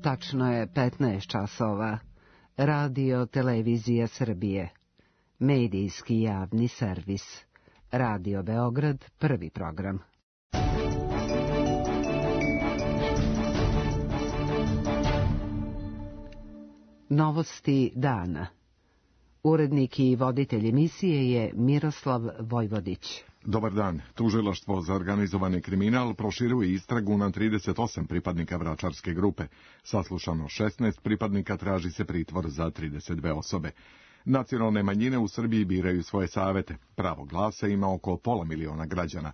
Tačno je 15 časova. Radio Televizija Srbije. Medijski javni servis. Radio Beograd, prvi program. Novosti dana. Urednik i voditelj emisije je Miroslav Vojvodić. Dobar dan. Tužilaštvo za organizovani kriminal proširuje istragu na 38 pripadnika vračarske grupe. Saslušano 16 pripadnika, traži se pritvor za 32 osobe. Nacionalne manjine u Srbiji biraju svoje savete. Pravo glasa ima oko 500.000 građana.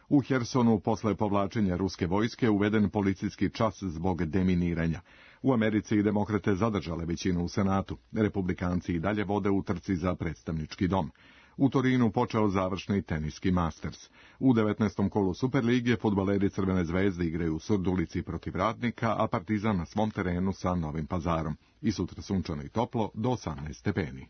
U Hersonu posle povlačenja ruske vojske uveden policijski čas zbog deminiranja. U Americi i demokrate zadržale većinu u Senatu. Republikanci i dalje vode u trci za predstavnički dom. U Torinu počeo završni teniski Masters. U 19. kolu Superlige fudbaleri Crvene zvezde igraju u Surdulici protiv Radnika, a Partizan na svom terenu sa Novim Pazarom. I sutra sunčano i toplo do 18 stepeni.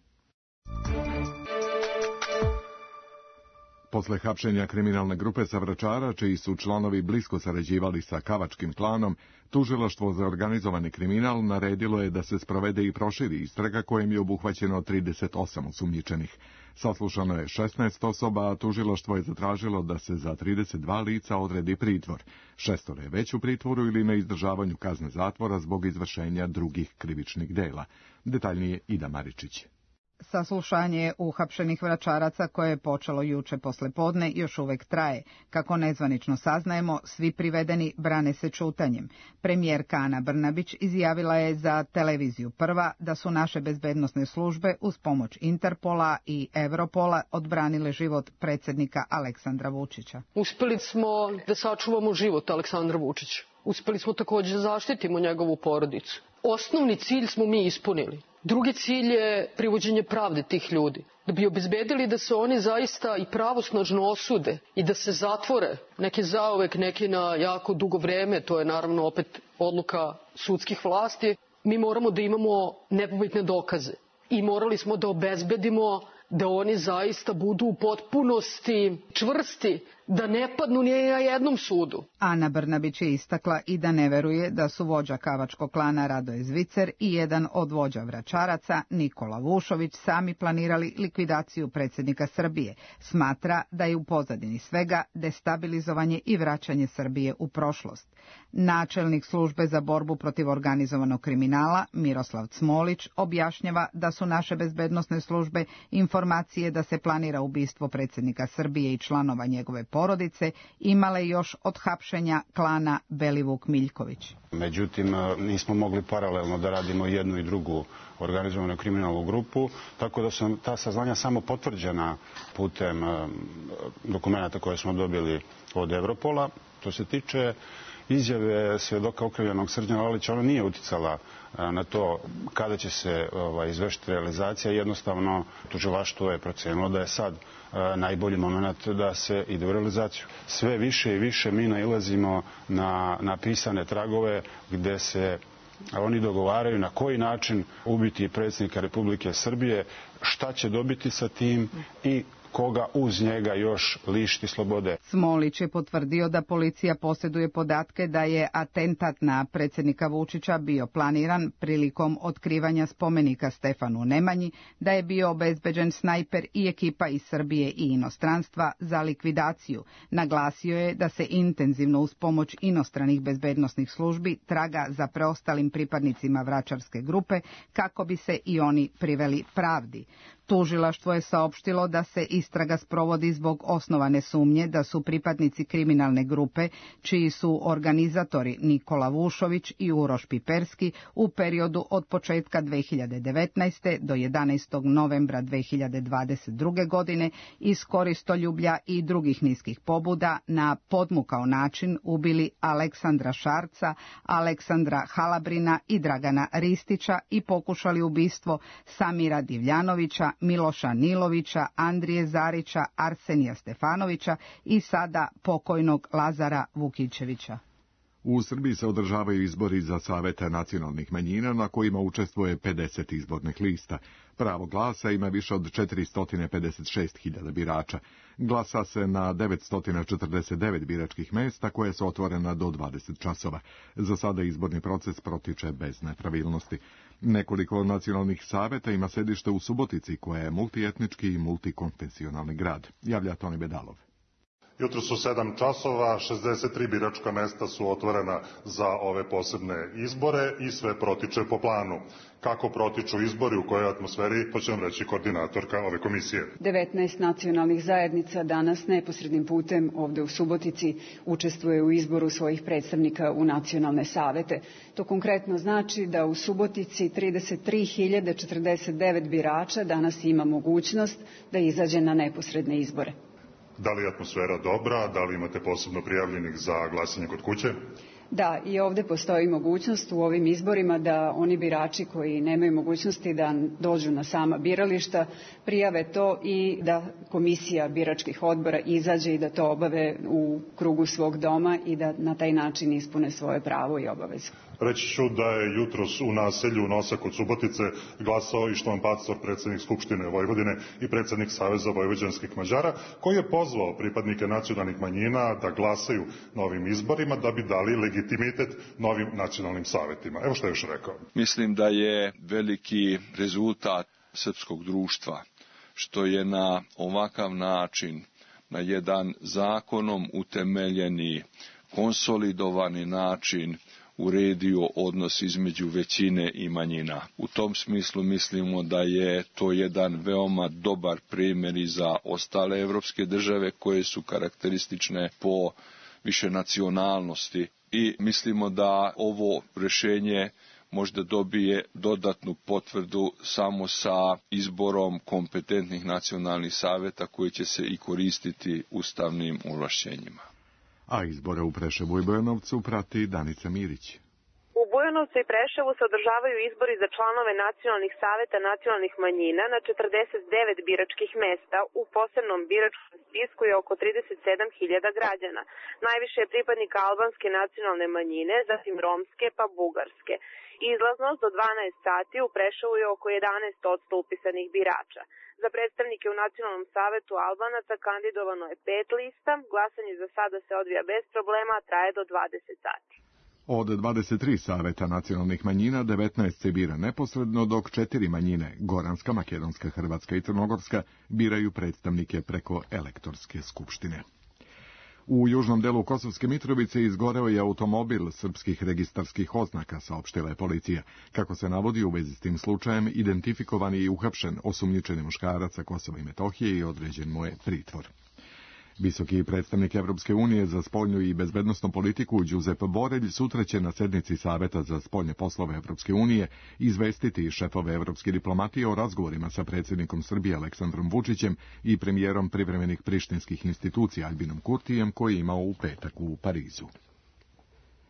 Posle hapšenja kriminalne grupe sa Vračara, čiji su članovi blisko sarađivali sa Kavačkim klanom, tužilaštvo za organizovani kriminal naredilo je da se sprovede i proširi istraga kojem je obuhvaćeno 38 osumnjičenih. Saslušano je 16 osoba, a tužilaštvo je zatražilo da se za 32 lica odredi pritvor. 6 je već u pritvoru ili na izdržavanju kazne zatvora zbog izvršenja drugih krivičnih dela. Detaljnije Ida Maričić. Saslušanje uhapšenih Vračaraca, koje je počelo juče poslepodne, još uvek traje. Kako nezvanično saznajemo, svi privedeni brane se ćutanjem. Premijerka Ana Brnabić izjavila je za televiziju Prva da su naše bezbednosne službe uz pomoć Interpola i Evropola odbranile život predsjednika Aleksandra Vučića. Uspeli smo da sačuvamo život Aleksandra Vučića. Uspeli smo također da zaštitimo njegovu porodicu. Osnovni cilj smo mi ispunili. Drugi cilj je privođenje pravde tih ljudi. Da bi obezbedili da se oni zaista i pravosnažno osude i da se zatvore, neki zauvek, neki na jako dugo vreme, to je naravno opet odluka sudskih vlasti, mi moramo da imamo nepobitne dokaze. I morali smo da obezbedimo da oni zaista budu u potpunosti čvrsti, da ne padnu ni na jednom sudu. Ana Brnabić je istakla i da ne veruje da su vođa Kavačkog klana Radoje Zvicer i jedan od vođa Vračaraca, Nikola Vušović, sami planirali likvidaciju predsjednika Srbije. Smatra da je u pozadini svega destabilizovanje i vraćanje Srbije u prošlost. Načelnik službe za borbu protiv organizovanog kriminala, Miroslav Cmolić, objašnjava da su naše bezbednosne službe informacije da se planira ubistvo predsjednika Srbije i članova njegove porodice imale još od hapšenja klana Belivuk Miljković. Međutim, nismo mogli paralelno da radimo jednu i drugu organizovanu kriminalnu grupu, tako da su ta saznanja samo potvrđena putem dokumenata koje smo dobili od Evropola. To se tiče izjave svjedoka okrivljenog Srđana Lalića, ona nije uticala na to kada će se izvršiti realizacija. Jednostavno, tužilaštvo je procenilo da je sad najbolji moment da se ide u realizaciju. Sve više i više mi nailazimo na pisane tragove gde se oni dogovaraju na koji način ubiti predsjednika Republike Srbije, šta će dobiti sa tim i koga uz njega još lišiti slobode. Smolić je potvrdio da policija posjeduje podatke da je atentat na predsjednika Vučića bio planiran prilikom otkrivanja spomenika Stefanu Nemanji, da je bio obezbeđen snajper i ekipa iz Srbije i inostranstva za likvidaciju. Naglasio je da se intenzivno uz pomoć inostranih bezbednosnih službi traga za preostalim pripadnicima vračarske grupe kako bi se i oni priveli pravdi. Tužilaštvo je saopštilo da se istraga sprovodi zbog osnovane sumnje da su pripadnici kriminalne grupe, čiji su organizatori Nikola Vušović i Uroš Piperski, u periodu od početka 2019. do 11. novembra 2022. godine iz koristoljublja i drugih niskih pobuda na podmukao način ubili Aleksandra Šarca, Aleksandra Halabrina i Dragana Ristića i pokušali ubistvo Samira Divljanovića, Miloša Nilovića, Andrije Zarića, Arsenija Stefanovića i sada pokojnog Lazara Vukićevića. U Srbiji se održavaju izbori za savete nacionalnih manjina na kojima učestvuje 50 izbornih lista. Pravo glasa ima više od 456.000 birača. Glasa se na 949 biračkih mesta koje su otvorena do 20 časova. Za sada izborni proces protiče bez nepravilnosti. Nekoliko nacionalnih saveta ima sedište u Subotici, koja je multietnički i multikonfesionalni grad. Javlja Toni Bedalov. Jutro su 7 časova, 63 biračka mesta su otvorena za ove posebne izbore i sve protiče po planu. Kako protiču izbori, u kojoj atmosferi, to će nam reći koordinatorka ove komisije. 19 nacionalnih zajednica danas neposrednim putem ovde u Subotici učestvuje u izboru svojih predstavnika u nacionalne savete. To konkretno znači da u Subotici 33.049 birača danas ima mogućnost da izađe na neposredne izbore. Da li je atmosfera dobra? Da li imate posebno prijavljenih za glasanje kod kuće? Da, i ovde postoji mogućnost u ovim izborima da oni birači koji nemaju mogućnosti da dođu na sama birališta prijave to i da komisija biračkih odbora izađe i da to obave u krugu svog doma i da na taj način ispune svoje pravo i obavezu. Reći ću da je jutros u naselju Nosa kod Subotice glasao i Štovan Pacor, predsjednik Skupštine Vojvodine i predsjednik Saveza vojvođanskih Mađara, koji je pozvao pripadnike nacionalnih manjina da glasaju na ovim izborima da bi dali legitimitet novim nacionalnim savetima. Evo što je još rekao. Mislim da je veliki rezultat srpskog društva što je na ovakav način, na jedan zakonom utemeljeni, konsolidovani način uredio odnos između većine i manjina. U tom smislu mislimo da je to jedan veoma dobar primjer i za ostale evropske države koje su karakteristične po višenacionalnosti i mislimo da ovo rješenje možda dobije dodatnu potvrdu samo sa izborom kompetentnih nacionalnih saveta koji će se i koristiti ustavnim ovlašćenjima. A izbore u Preševu i Bujanovcu prati Danica Mirić. U Bujanovcu i Preševu se održavaju izbori za članove nacionalnih saveta nacionalnih manjina na 49 biračkih mesta. U posebnom biračkom spisku je oko 37.000 građana. Najviše je pripadnika albanske nacionalne manjine, zatim romske pa bugarske. Izlaznost do 12 sati u Preševu je oko 11% upisanih birača. Za predstavnike u Nacionalnom savetu Albanaca kandidovano je 5 lista. Glasanje za sada se odvija bez problema, traje do 20 sati. Od 23 saveta nacionalnih manjina, 19 se bira neposredno, dok 4 manjine, Goranska, Makedonska, Hrvatska i Crnogorska, biraju predstavnike preko elektorske skupštine. U južnom delu Kosovske Mitrovice izgoreo je automobil srpskih registarskih oznaka, saopštila je policija. Kako se navodi, u vezi s tim slučajem identifikovan je i uhapšen osumnjičeni muškarac sa Kosova i Metohije i određen mu je pritvor. Visoki predstavnik Evropske unije za spoljnu i bezbednosnu politiku Đuzep Borelj sutra će na sednici Saveta za spoljne poslove Evropske unije izvestiti šefove evropske diplomatije o razgovorima sa predsjednikom Srbije Aleksandrom Vučićem i premijerom privremenih prištinskih institucija Albinom Kurtijem koji je imao u petak u Parizu.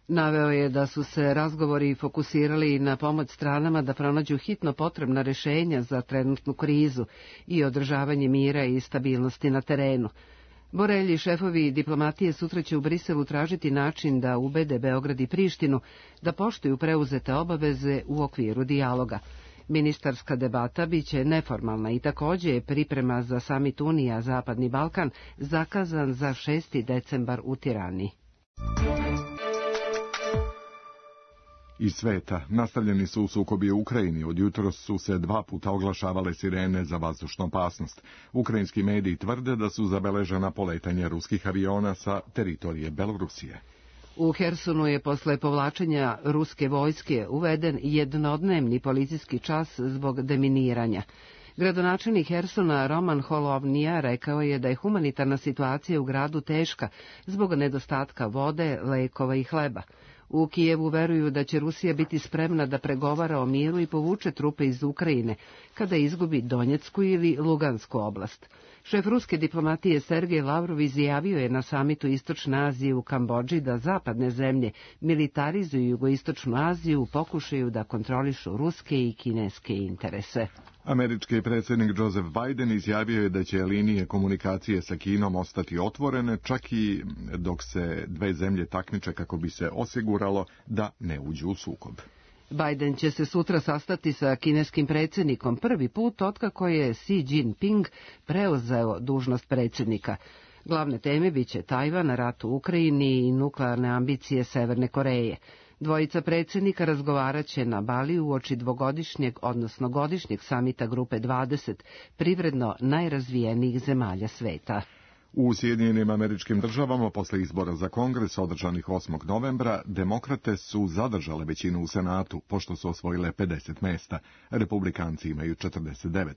Naveo je da su se razgovori fokusirali na pomoć stranama da pronađu hitno potrebna rješenja za trenutnu krizu i održavanje mira i stabilnosti na terenu. Borelj i šefovi diplomatije sutra će u Briselu tražiti način da ubede Beograd i Prištinu da poštuju preuzete obaveze u okviru dijaloga. Ministarska debata biće neformalna i također je priprema za samit Unija Zapadni Balkan zakazan za 6. decembar u Tirani. Iz sveta nastavljeni su sukobi u Ukrajini. Od jutros su se 2 puta oglašavale sirene za vazdušnu opasnost. Ukrajinski mediji tvrde da su zabeležena poletanja ruskih aviona sa teritorije Belorusije. U Hersonu je posle povlačenja ruske vojske uveden jednodnevni policijski čas zbog deminiranja. Gradonačelnik Hersona Roman Holovnija rekao je da je humanitarna situacija u gradu teška zbog nedostatka vode, lekova i hleba. U Kijevu veruju da će Rusija biti spremna da pregovara o miru i povuče trupe iz Ukrajine kada izgubi Donjecku ili Lugansku oblast. Šef ruske diplomatije Sergej Lavrov izjavio je na samitu Istočne Azije u Kambodži da zapadne zemlje militarizuju jugoistočnu Aziju u pokušaju da kontrolišu ruske i kineske interese. Američki predsjednik Joseph Biden izjavio je da će linije komunikacije sa Kinom ostati otvorene, čak i dok se dve zemlje takmiče kako bi se osiguralo da ne uđu u sukob. Biden će se sutra sastati sa kineskim predsjednikom prvi put otkako je Xi Jinping preuzeo dužnost predsjednika. Glavne teme biće Tajvan, rat u Ukrajini i nuklearne ambicije Severne Koreje. Dvojica predsjednika razgovarat će na Baliju uoči dvogodišnjeg, odnosno godišnjeg samita Grupe 20, privredno najrazvijenijih zemalja sveta. U Sjedinjenim Američkim Državama posle izbora za Kongres održanih 8. novembra demokrate su zadržale većinu u Senatu, pošto su osvojile 50 mesta. Republikanci imaju 49.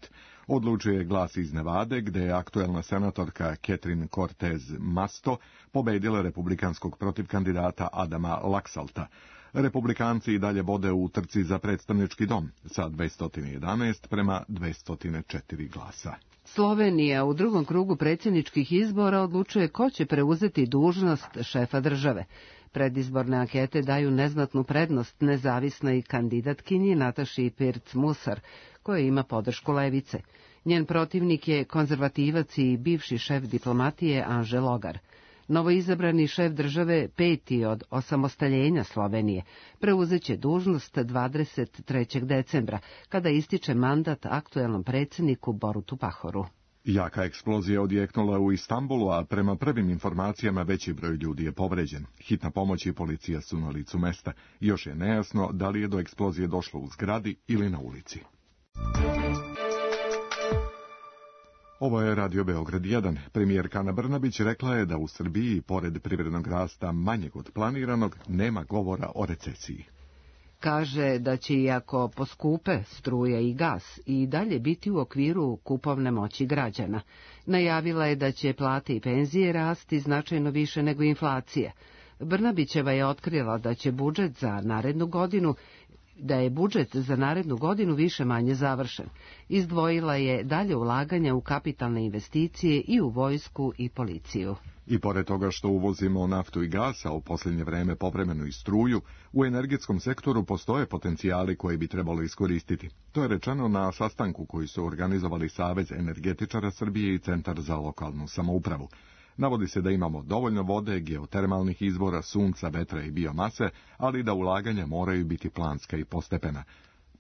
Odlučuje glas iz Nevade, gde je aktuelna senatorka Catherine Cortez Masto pobedila republikanskog protivkandidata Adama Laxalta. Republikanci i dalje vode u trci za predstavnički dom sa 211 prema 204 glasa. Slovenija u drugom krugu predsjedničkih izbora odlučuje ko će preuzeti dužnost šefa države. Predizborne ankete daju neznatnu prednost nezavisnoj kandidatkinji Nataši Pirc-Musar, koja ima podršku levice. Njen protivnik je konzervativac i bivši šef diplomatije Anže Logar. Novoizabrani šef države, peti od osamostaljenja Slovenije, preuzeće dužnost 23. decembra, kada ističe mandat aktuelnom predsjedniku Borutu Pahoru. Jaka eksplozija odjeknula u Istanbulu, a prema prvim informacijama veći broj ljudi je povređen. Hitna pomoć i policija su na licu mesta. Još je nejasno da li je do eksplozije došlo u zgradi ili na ulici. Ovo je Radio Beograd 1. Premijerka Ana Brnabić rekla je da u Srbiji, pored privrednog rasta manjeg od planiranog, nema govora o recesiji. Kaže da će, iako poskupe struja i gas, i dalje biti u okviru kupovne moći građana. Najavila je da će plate i penzije rasti značajno više nego inflacija. Brnabićeva je otkrila da će budžet za narednu godinu više manje završen. Izdvojila je dalje ulaganja u kapitalne investicije i u vojsku i policiju. I pored toga što uvozimo naftu i gas, a u posljednje vreme povremeno i struju, u energetskom sektoru postoje potencijali koje bi trebalo iskoristiti. To je rečeno na sastanku koji su organizovali Savez energetičara Srbije i Centar za lokalnu samoupravu. Navodi se da imamo dovoljno vode, geotermalnih izvora, sunca, vetra i biomase, ali da ulaganja moraju biti planska i postepena.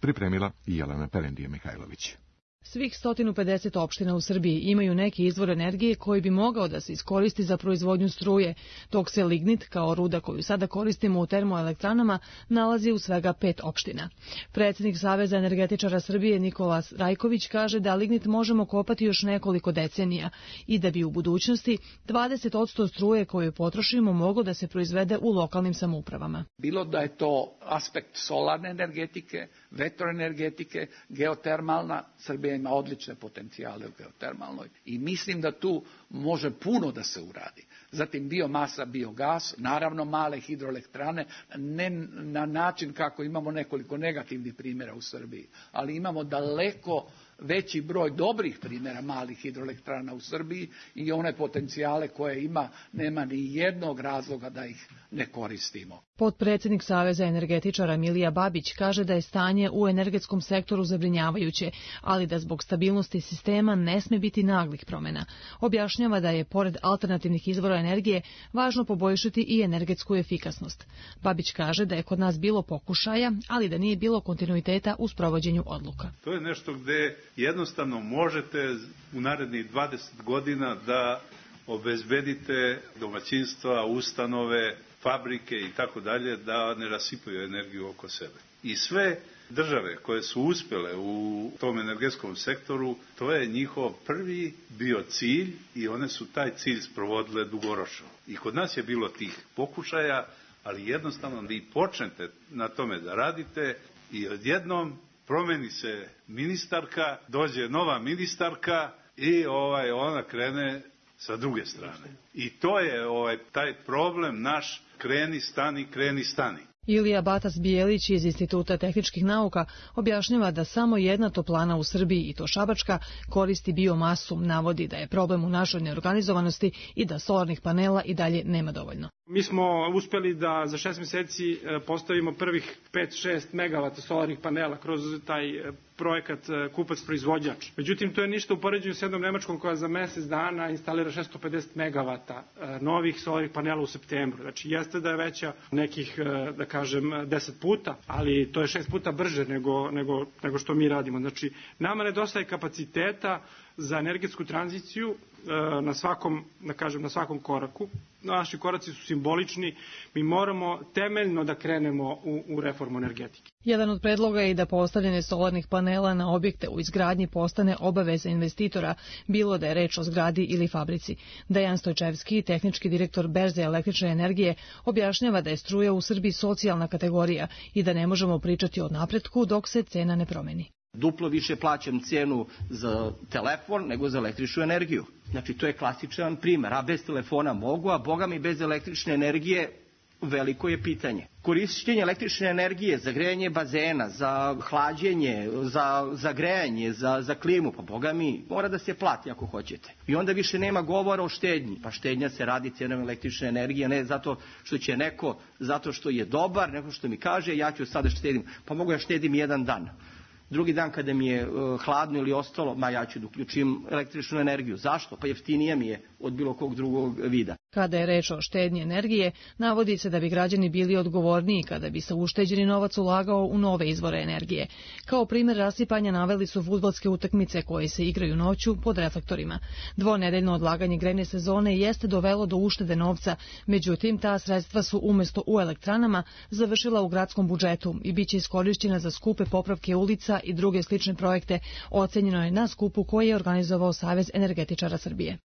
Pripremila i Jelena Perendije-Mihajlović. Svih 150 opština u Srbiji imaju neki izvor energije koji bi mogao da se iskoristi za proizvodnju struje, dok se lignit, kao ruda koju sada koristimo u termoelektranama, nalazi u svega 5 opština. Predsjednik Saveza energetičara Srbije Nikola Rajković kaže da lignit možemo kopati još nekoliko decenija i da bi u budućnosti 20% struje koju potrošimo moglo da se proizvede u lokalnim samoupravama. Bilo da je to aspekt solarne energetike, vetroenergetike, geotermalna, Srbija ima odlične potencijale u geotermalnoj i mislim da tu može puno da se uradi. Zatim biomasa, biogas, naravno male hidroelektrane, ne na način kako imamo nekoliko negativnih primjera u Srbiji, ali imamo daleko veći broj dobrih primjera malih hidroelektrana u Srbiji i one potencijale koje ima, nema ni jednog razloga da ih ne koristimo. Potpredsjednik Saveza energetičara Milija Babić kaže da je stanje u energetskom sektoru zabrinjavajuće, ali da zbog stabilnosti sistema ne sme biti naglih promjena. Objašnjava da je, pored alternativnih izvora energije, važno poboljšati i energetsku efikasnost. Babić kaže da je kod nas bilo pokušaja, ali da nije bilo kontinuiteta u sprovođenju odluka. To je nešto gde jednostavno možete u narednih 20 godina da obezbedite domaćinstva, ustanove, fabrike i tako dalje, da ne rasipaju energiju oko sebe. I sve države koje su uspjele u tom energetskom sektoru, to je njihov prvi bio cilj i one su taj cilj sprovodile dugoročno. I kod nas je bilo tih pokušaja, ali jednostavno vi počnete na tome da radite i odjednom promeni se ministarka, dođe nova ministarka i ona krene sa druge strane. I to je taj problem naš kreni, stani, kreni, stani. Ilija Batas-Bijelić iz Instituta tehničkih nauka objašnjava da samo jedna toplana u Srbiji, i to šabačka, koristi biomasu, navodi da je problem u našoj neorganizovanosti i da solarnih panela i dalje nema dovoljno. Mi smo uspeli da za 6 meseci postavimo prvih 5-6 megavata solarnih panela kroz taj projekat kupac-proizvođač. Međutim, to je ništa u poređenju s jednom Nemačkom koja za mesec dana instalira 650 megavata novih solarnih panela u septembru. Znači, jeste da je veća nekih, da kažem, 10 puta, ali to je 6 puta brže nego što mi radimo. Znači, nama nedostaje kapaciteta za energetsku tranziciju na svakom koraku. Naši koraci su simbolični, mi moramo temeljno da krenemo u reformu energetike. Jedan od predloga je i da postavljanje solarnih panela na objekte u izgradnji postane obaveza investitora, bilo da je reč o zgradi ili fabrici. Dejan Stojčevski, tehnički direktor Berze električne energije, objašnjava da je struja u Srbiji socijalna kategorija i da ne možemo pričati o napretku dok se cena ne promeni. Duplo više plaćam cenu za telefon nego za električnu energiju. Znači, to je klasičan primer. A bez telefona mogu, a boga mi bez električne energije veliko je pitanje. Korišćenje električne energije za grejanje bazena, za hlađenje, za grejanje, za klimu, pa boga mi mora da se plati ako hoćete. I onda više nema govora o štednji. Pa štednja se radi cenom električne energije, ne zato što će neko, zato što je dobar, neko što mi kaže ja ću sada štedim. Pa mogu ja štedim jedan dan. Drugi dan kada mi je hladno ili ostalo, ja ću da uključim električnu energiju. Zašto? Pa jeftinije mi je od bilo kog drugog vida. Kada je reč o štednji energije, navodi se da bi građani bili odgovorniji kada bi se ušteđeni novac ulagao u nove izvore energije. Kao primjer rasipanja naveli su fudbalske utakmice koje se igraju noću pod reflektorima. Dvonedeljno odlaganje grejne sezone jeste dovelo do uštede novca, međutim ta sredstva su umjesto u elektranama završila u gradskom budžetu i biće iskorišćena za skupe popravke ulica i druge slične projekte, ocenjeno je na skupu koji je organizovao Savez energetičara Srbije.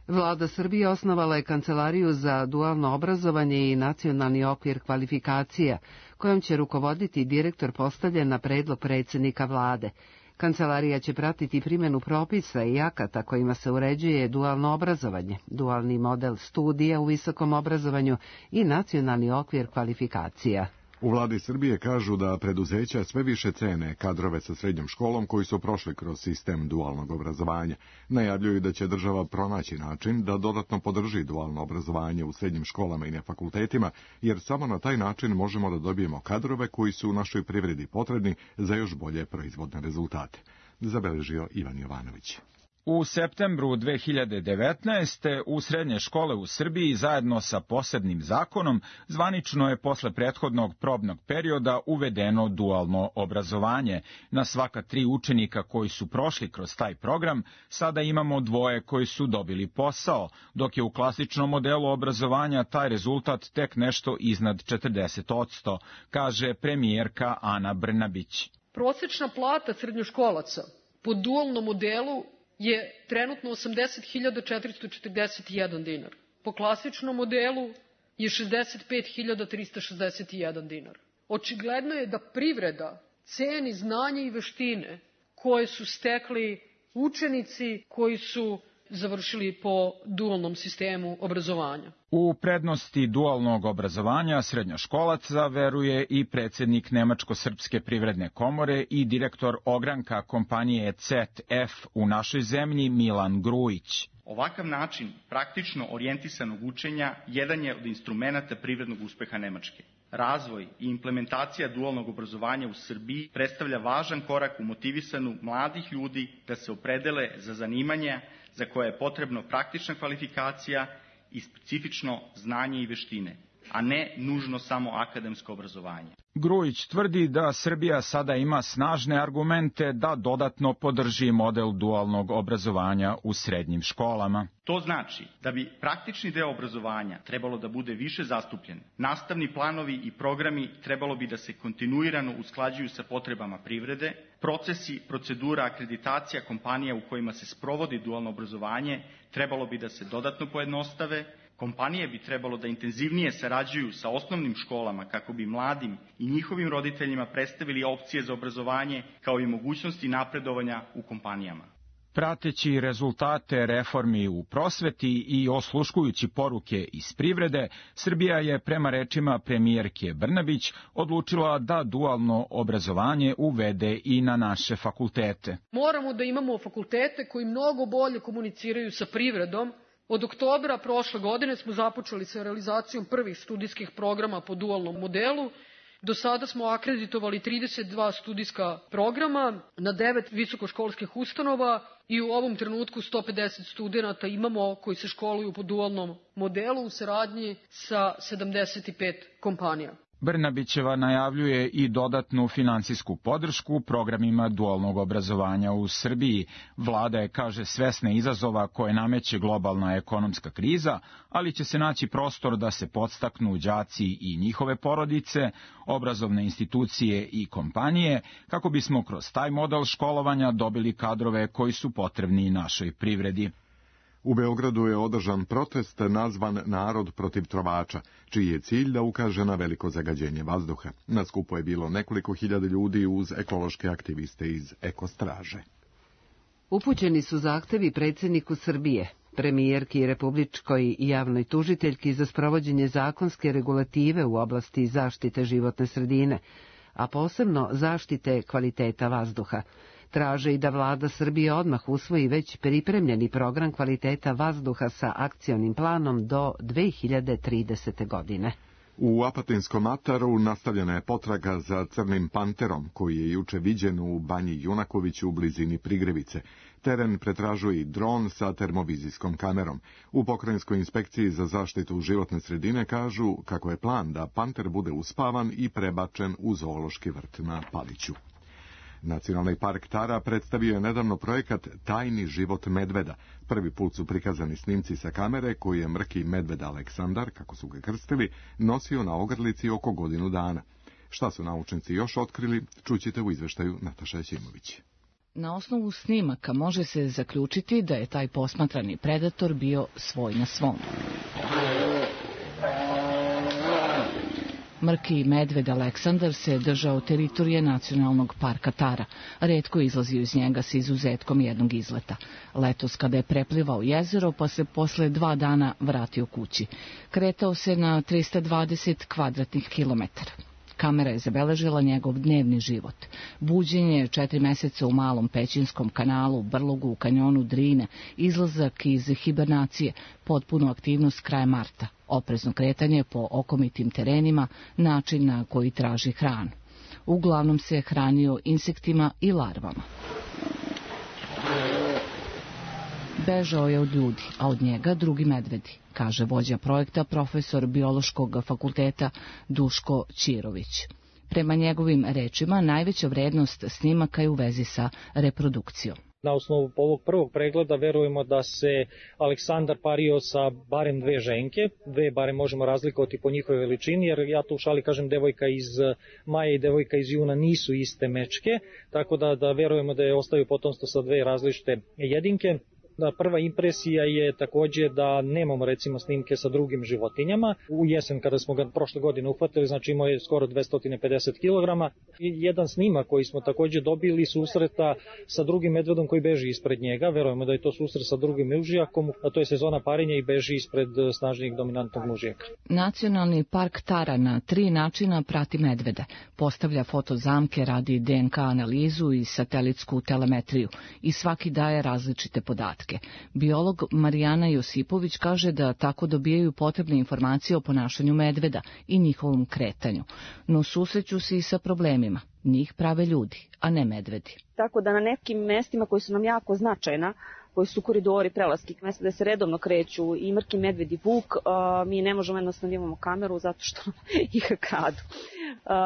Vlada Srbije osnovala je Kancelariju za dualno obrazovanje i nacionalni okvir kvalifikacija, kojom će rukovoditi direktor postavljen na predlog predsjednika vlade. Kancelarija će pratiti primjenu propisa i akata kojima se uređuje dualno obrazovanje, dualni model studija u visokom obrazovanju i nacionalni okvir kvalifikacija. U vladi Srbije kažu da preduzeća sve više cene kadrove sa srednjom školom koji su prošli kroz sistem dualnog obrazovanja. Najavljuju da će država pronaći način da dodatno podrži dualno obrazovanje u srednjim školama i na fakultetima, jer samo na taj način možemo da dobijemo kadrove koji su u našoj privredi potrebni za još bolje proizvodne rezultate. Zabeležio Ivan Jovanović. U septembru 2019. u srednje škole u Srbiji zajedno sa posebnim zakonom zvanično je posle prethodnog probnog perioda uvedeno dualno obrazovanje. Na svaka 3 učenika koji su prošli kroz taj program sada imamo 2 koji su dobili posao, dok je u klasičnom modelu obrazovanja taj rezultat tek nešto iznad 40%, kaže premijerka Ana Brnabić. Prosečna plata srednjoškolaca po dualnom modelu je trenutno 80.441 dinar. Po klasičnom modelu je 65.361 dinar. Očigledno je da privreda ceni znanje i veštine koje su stekli učenici koji su završili po dualnom sistemu obrazovanja. U prednosti dualnog obrazovanja srednjoškolaca veruje i predsjednik Nemačko-srpske privredne komore i direktor ogranka kompanije ZF u našoj zemlji Milan Grujić. Ovakav način praktično orijentisanog učenja jedan je od instrumenata privrednog uspeha Nemačke. Razvoj i implementacija dualnog obrazovanja u Srbiji predstavlja važan korak u motivisanu mladih ljudi da se opredele za zanimanja za koje je potrebno praktična kvalifikacija i specifično znanje i veštine, a ne nužno samo akademsko obrazovanje. Grujić tvrdi da Srbija sada ima snažne argumente da dodatno podrži model dualnog obrazovanja u srednjim školama. To znači da bi praktični deo obrazovanja trebalo da bude više zastupljen. Nastavni planovi i programi trebalo bi da se kontinuirano usklađuju sa potrebama privrede. Procesi, procedura, akreditacija kompanija u kojima se sprovodi dualno obrazovanje trebalo bi da se dodatno pojednostave. Kompanije bi trebalo da intenzivnije sarađuju sa osnovnim školama kako bi mladim i njihovim roditeljima predstavili opcije za obrazovanje kao i mogućnosti napredovanja u kompanijama. Prateći rezultate reformi u prosveti i osluškujući poruke iz privrede, Srbija je prema rečima premijerke Brnabić odlučila da dualno obrazovanje uvede i na naše fakultete. Moramo da imamo fakultete koji mnogo bolje komuniciraju sa privredom. Od oktobra prošle godine smo započeli sa realizacijom prvih studijskih programa po dualnom modelu. Do sada smo akreditovali 32 studijska programa na 9 visokoškolskih ustanova i u ovom trenutku 150 studenata imamo koji se školuju po dualnom modelu u saradnji sa 75 kompanija. Brnabićeva najavljuje i dodatnu finansijsku podršku programima dualnog obrazovanja u Srbiji. Vlada je, kaže, svesna izazova koje nameće globalna ekonomska kriza, ali će se naći prostor da se podstaknu đaci i njihove porodice, obrazovne institucije i kompanije, kako bismo kroz taj model školovanja dobili kadrove koji su potrebni našoj privredi. U Beogradu je održan protest nazvan Narod protiv trovača, čiji je cilj da ukaže na veliko zagađenje vazduha. Na skupu je bilo nekoliko hiljada ljudi uz ekološke aktiviste iz Ekostraže. Upućeni su zahtevi predsjedniku Srbije, premijerki i republičkoj javnoj tužiteljki za sprovođenje zakonske regulative u oblasti zaštite životne sredine, a posebno zaštite kvaliteta vazduha. Traže i da vlada Srbije odmah usvoji već pripremljeni program kvaliteta vazduha sa akcionim planom do 2030. godine. U Apatinskom ataru nastavljena je potraga za crnim panterom, koji je juče viđen u Banji Junakoviću u blizini Prigrevice. Teren pretražuje i dron sa termovizijskom kamerom. U pokrajinskoj inspekciji za zaštitu životne sredine kažu kako je plan da panter bude uspavan i prebačen u zoološki vrt na Paliću. Nacionalni park Tara predstavio je nedavno projekat Tajni život medveda. Prvi put su prikazani snimci sa kamere koji je mrki medved Aleksandar, kako su ga krstili, nosio na ogrlici oko godinu dana. Šta su naučnici još otkrili, čućete u izveštaju Nataša Ćimović. Na osnovu snimaka može se zaključiti da je taj posmatrani predator bio svoj na svom. Mrki medved Aleksandar se držao teritorije Nacionalnog parka Tara. Retko je izlazio iz njega sa izuzetkom jednog izleta. Letos kada je preplivao jezero, pa se posle 2 dana vratio kući. Kretao se na 320 kvadratnih kilometara. Kamera je zabeležila njegov dnevni život. Buđenje 4 meseca u Malom Pećinskom kanalu, brlogu u kanjonu Drine, izlazak iz hibernacije, potpunu aktivnost kraja marta, oprezno kretanje po okomitim terenima, način na koji traži hranu. Uglavnom se hranio insektima i larvama. Bežao je od ljudi, a od njega drugi medvedi, kaže vođa projekta, profesor biološkog fakulteta Duško Ćirović. Prema njegovim rečima, najveća vrednost snimaka je u vezi sa reprodukcijom. Na osnovu ovog prvog pregleda verujemo da se Aleksandar pario sa barem 2 ženke, 2 barem možemo razlikovati po njihovoj veličini, jer ja tu u šali kažem devojka iz maja i devojka iz juna nisu iste mečke, tako da verujemo da je ostavio potomstvo sa 2 različite jedinke. Prva impresija je takođe da nemamo recimo snimke sa drugim životinjama. U jesen kada smo ga prošle godine uhvatili, znači imao je skoro 250 kg. Jedan snimak koji smo takođe dobili susreta sa drugim medvedom koji beži ispred njega. Verujemo da je to susret sa drugim mužijakom, a to je sezona parenja i beži ispred snažnijeg dominantnog mužijaka. Nacionalni park Tara na 3 načina prati medvede. Postavlja fotozamke, radi DNK analizu i satelitsku telemetriju i svaki daje različite podatke. Biolog Marijana Josipović kaže da tako dobijaju potrebne informacije o ponašanju medveda i njihovom kretanju, no susreću se i sa problemima. Njih prave ljudi, a ne medvedi. Tako da na nekim mestima koji su nam jako značajna, koji su koridori prelaskih mesta da se redovno kreću i mrki medved i vuk, mi ne možemo jednostavno imamo kameru zato što ih kradu.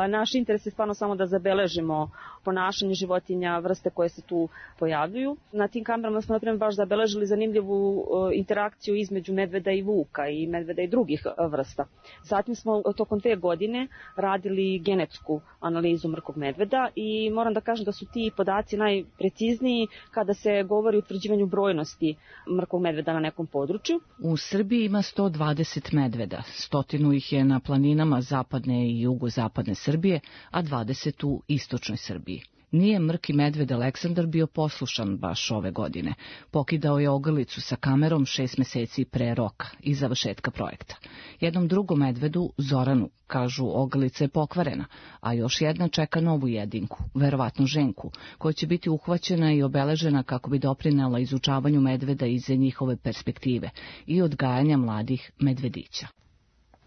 Naš interes je stvarno samo da zabeležimo ponašanje životinja, vrste koje se tu pojavljuju. Na tim kamerama smo naprimjer baš zabeležili zanimljivu interakciju između medveda i vuka i medveda i drugih vrsta. Zatim smo tokom 2 godine radili genetsku analizu mrkog medveda i moram da kažem da su ti podaci najprecizniji kada se govori o utvrđivanju brojnosti mrkog medveda na nekom području. U Srbiji ima 120 medveda, 100 ih je na planinama zapadne i jugozapadne Srbije, a 20 u istočnoj Srbiji. Nije mrki medved Aleksandar bio poslušan baš ove godine. Pokidao je ogrlicu sa kamerom 6 meseci pre roka i završetka projekta. Jednom drugom medvedu, Zoranu, kažu ogrlica je pokvarena, a još jedna čeka novu jedinku, verovatno ženku, koja će biti uhvaćena i obeležena kako bi doprinela izučavanju medveda iz njihove perspektive i odgajanja mladih medvedića.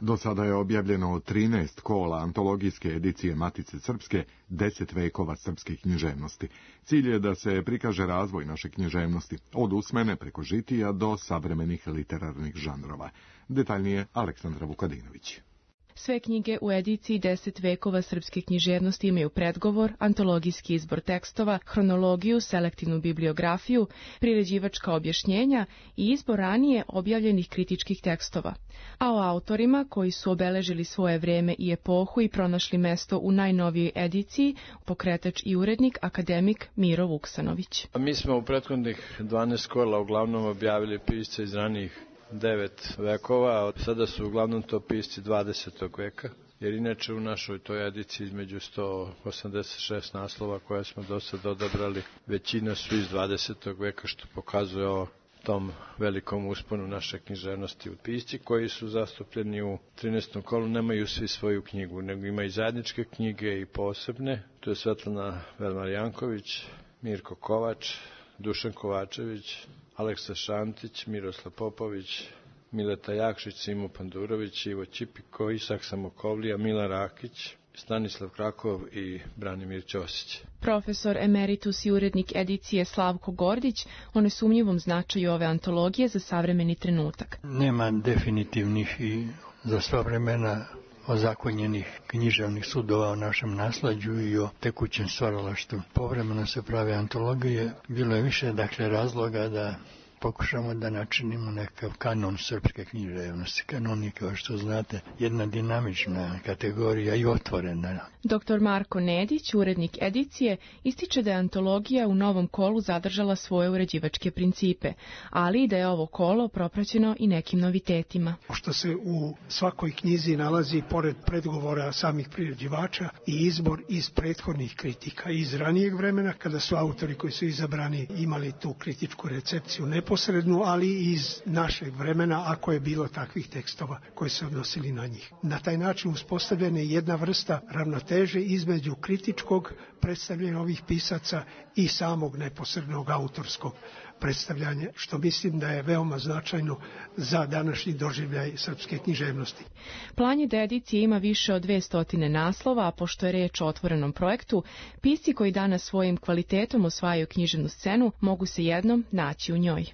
Do sada je objavljeno 13 kola antologijske edicije Matice Srpske, 10 vekova srpske književnosti. Cilj je da se prikaže razvoj naše književnosti, od usmene preko žitija do savremenih literarnih žanrova. Detaljnije Aleksandra Vukadinović. Sve knjige u ediciji 10 vekova srpske književnosti imaju predgovor, antologijski izbor tekstova, hronologiju, selektivnu bibliografiju, priređivačka objašnjenja i izbor ranije objavljenih kritičkih tekstova. A o autorima koji su obeležili svoje vreme i epohu i pronašli mesto u najnovijoj ediciji, pokretač i urednik, akademik Miro Vuksanović. Mi smo u prethodnih 12 kola uglavnom objavili pisce iz ranijih 9 vekova, a sada su uglavnom to pisci 20. veka, jer inače u našoj toj ediciji između 186 naslova koje smo do sada odabrali, većina su iz 20. veka, što pokazuje o tom velikom usponu naše književnosti. U pisci koji su zastupljeni u 13. kolu nemaju svi svoju knjigu, nego imaju zajedničke knjige i posebne. To je Svetlana Velmar-Janković, Mirko Kovač, Dušan Kovačević, Aleksa Šantić, Miroslav Popović, Mileta Jakšić, Simo Pandurović, Ivo Ćipiko, Isak Samokovlija, Milan Rakić, Stanislav Krakov i Branimir Ćosić. Profesor emeritus i urednik edicije Slavko Gordić o nesumnjivom značaju ove antologije za savremeni trenutak. Nema definitivnih i za sva vremena ozakonjenih književnih sudova o našem nasleđu i o tekućem stvaralaštvu. Povremeno se prave antologije. Bilo je više razloga da pokušamo da načinimo nekakav kanon srpske književnosti. Kanon je, kao što znate, jedna dinamična kategorija i otvorena. Dr. Marko Nedić, urednik edicije, ističe da je antologija u novom kolu zadržala svoje uređivačke principe, ali i da je ovo kolo propraćeno i nekim novitetima. Što se u svakoj knjizi nalazi, pored predgovora samih priređivača, i izbor iz prethodnih kritika iz ranijeg vremena, kada su autori koji su izabrani imali tu kritičku recepciju neposrednu, ali i iz našeg vremena, ako je bilo takvih tekstova koji se odnosili na njih. Na taj način uspostavljena je jedna vrsta ravnoteže između kritičkog predstavljanja ovih pisaca i samog neposrednog autorskog predstavljanja, što mislim da je veoma značajno za današnji doživljaj srpske književnosti. Plan je da edicija ima više od 200 naslova, a pošto je reč o otvorenom projektu, pisci koji danas svojim kvalitetom osvajaju književnu scenu mogu se jednom naći u njoj.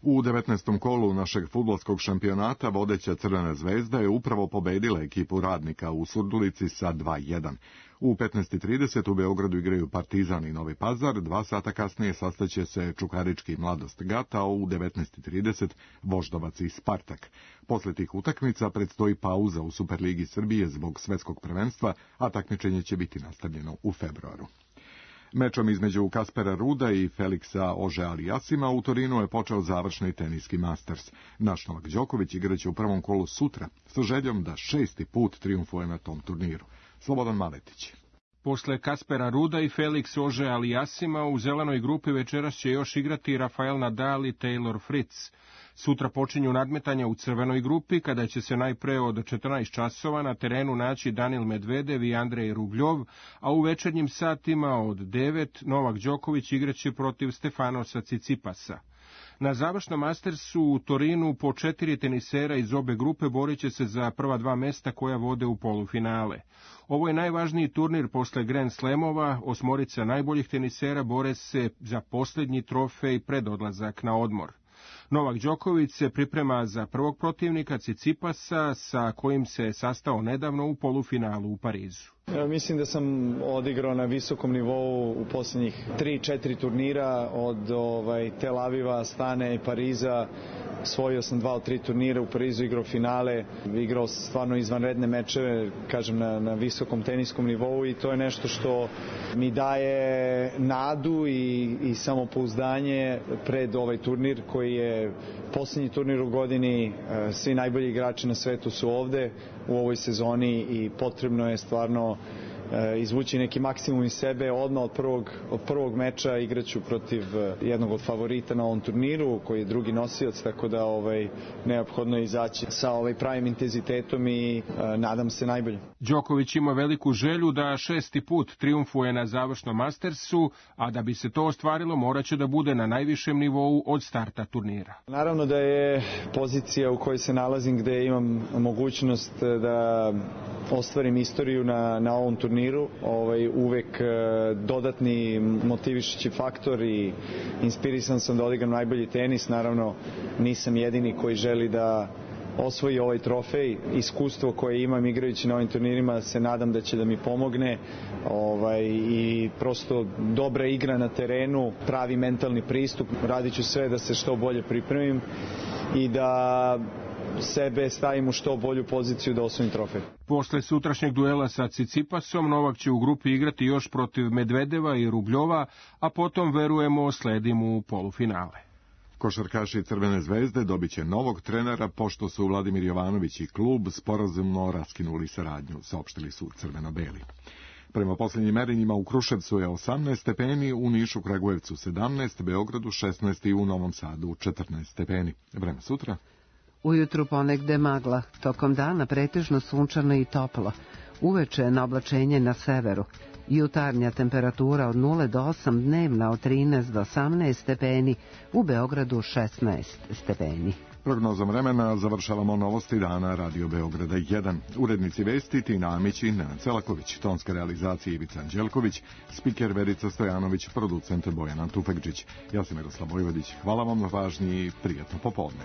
U 19. kolu našeg fudbalskog šampionata vodeća Crvena zvezda je upravo pobedila ekipu Radnika u Surdulici sa 2:1. U 15:30 u Beogradu igraju Partizan i Novi Pazar, 2 sata kasnije sastaće se Čukarički Mladost Gata, a u 19:30 Voždovac i Spartak. Posle tih utakmica predstoji pauza u Superligi Srbije zbog svetskog prvenstva, a takmičenje će biti nastavljeno u februaru. Mečom između Kaspera Ruda i Feliksa Ože-Alijasima u Torinu je počeo završni teniski Masters. Naš Novak Đoković igraće u prvom kolu sutra, sa željom da 6. put trijumfuje na tom turniru. Slobodan Maletić. Posle Kaspera Ruda i Felix Ože-Alijasima u zelenoj grupi večeras će još igrati Rafael Nadal i Taylor Fritz. Sutra počinju nadmetanja u crvenoj grupi, kada će se najpre od 14 časova na terenu naći Danil Medvedev i Andrej Rubljov, a u večernjim satima od 9 Novak Đoković igraće protiv Stefanosa Cicipasa. Na završnom Mastersu u Torinu po 4 tenisera iz obe grupe borit će se za prva 2 mesta koja vode u polufinale. Ovo je najvažniji turnir posle Grand Slamova, 8 najboljih tenisera bore se za posljednji trofej pred odlazak na odmor. Novak Đoković se priprema za prvog protivnika Cicipasa, sa kojim se sastao nedavno u polufinalu u Parizu. Mislim da sam odigrao na visokom nivou u posljednjih 3-4 turnira od Tel Aviva, Astane i Pariza. Osvojio sam 2 od 3 turnira, u Parizu igrao finale, igrao stvarno izvanredne mečeve, kažem, na visokom teniskom nivou, i to je nešto što mi daje nadu i samopouzdanje pred ovaj turnir koji je posljednji turnir u godini. Svi najbolji igrači na svetu su ovde u ovoj sezoni i potrebno je stvarno izvući neki maksimum iz sebe. Odmah od prvog meča igraću protiv jednog od favorita na ovom turniru, koji je drugi nosioc, tako da neophodno je izaći sa pravim intenzitetom i nadam se najbolje. Đoković ima veliku želju da 6. put trijumfuje na završnom Mastersu, a da bi se to ostvarilo moraće da bude na najvišem nivou od starta turnira. Naravno da je pozicija u kojoj se nalazim, gde imam mogućnost da ostvarim istoriju na ovom turniru, uvek dodatni motivišući faktor i inspirisan sam da odigram najbolji tenis. Naravno nisam jedini koji želi da osvoji ovaj trofej. Iskustvo koje imam igrajući na ovim turnirima se nadam da će da mi pomogne i prosto dobra igra na terenu, pravi mentalni pristup. Radit ću sve da se što bolje pripremim i da sebe stavim u što bolju poziciju da osvojim trofej. Posle sutrašnjeg duela sa Cicipasom, Novak će u grupi igrati još protiv Medvedeva i Rubljova, a potom, verujemo, sledi mu polufinale. Košarkaši Crvene zvezde dobit će novog trenera, pošto su Vladimir Jovanović i klub sporazumno raskinuli saradnju, saopštili su crveno-beli. Prema posljednjim merenjima u Kruševcu je 18 stepeni, u Nišu, Kragujevcu 17, Beogradu 16 i u Novom Sadu 14 stepeni. Vreme sutra. Ujutru ponegde magla, tokom dana pretežno sunčano i toplo. Uveče na oblačenje na severu. Jutarnja temperatura od 0 do 8, dnevna od 13 do 18 stepeni, u Beogradu 16 stepeni. Prognozom vremena završavamo novosti dana Radio Beograda 1. Urednici vesti Tina Amić i Nenad Celaković, tonska realizacija Ivica Anđelković, spiker Verica Stojanović, producent Bojan Tufekđić. Ja sam Miroslav Vojvodić. Hvala vam na pažnji i prijatno popodne.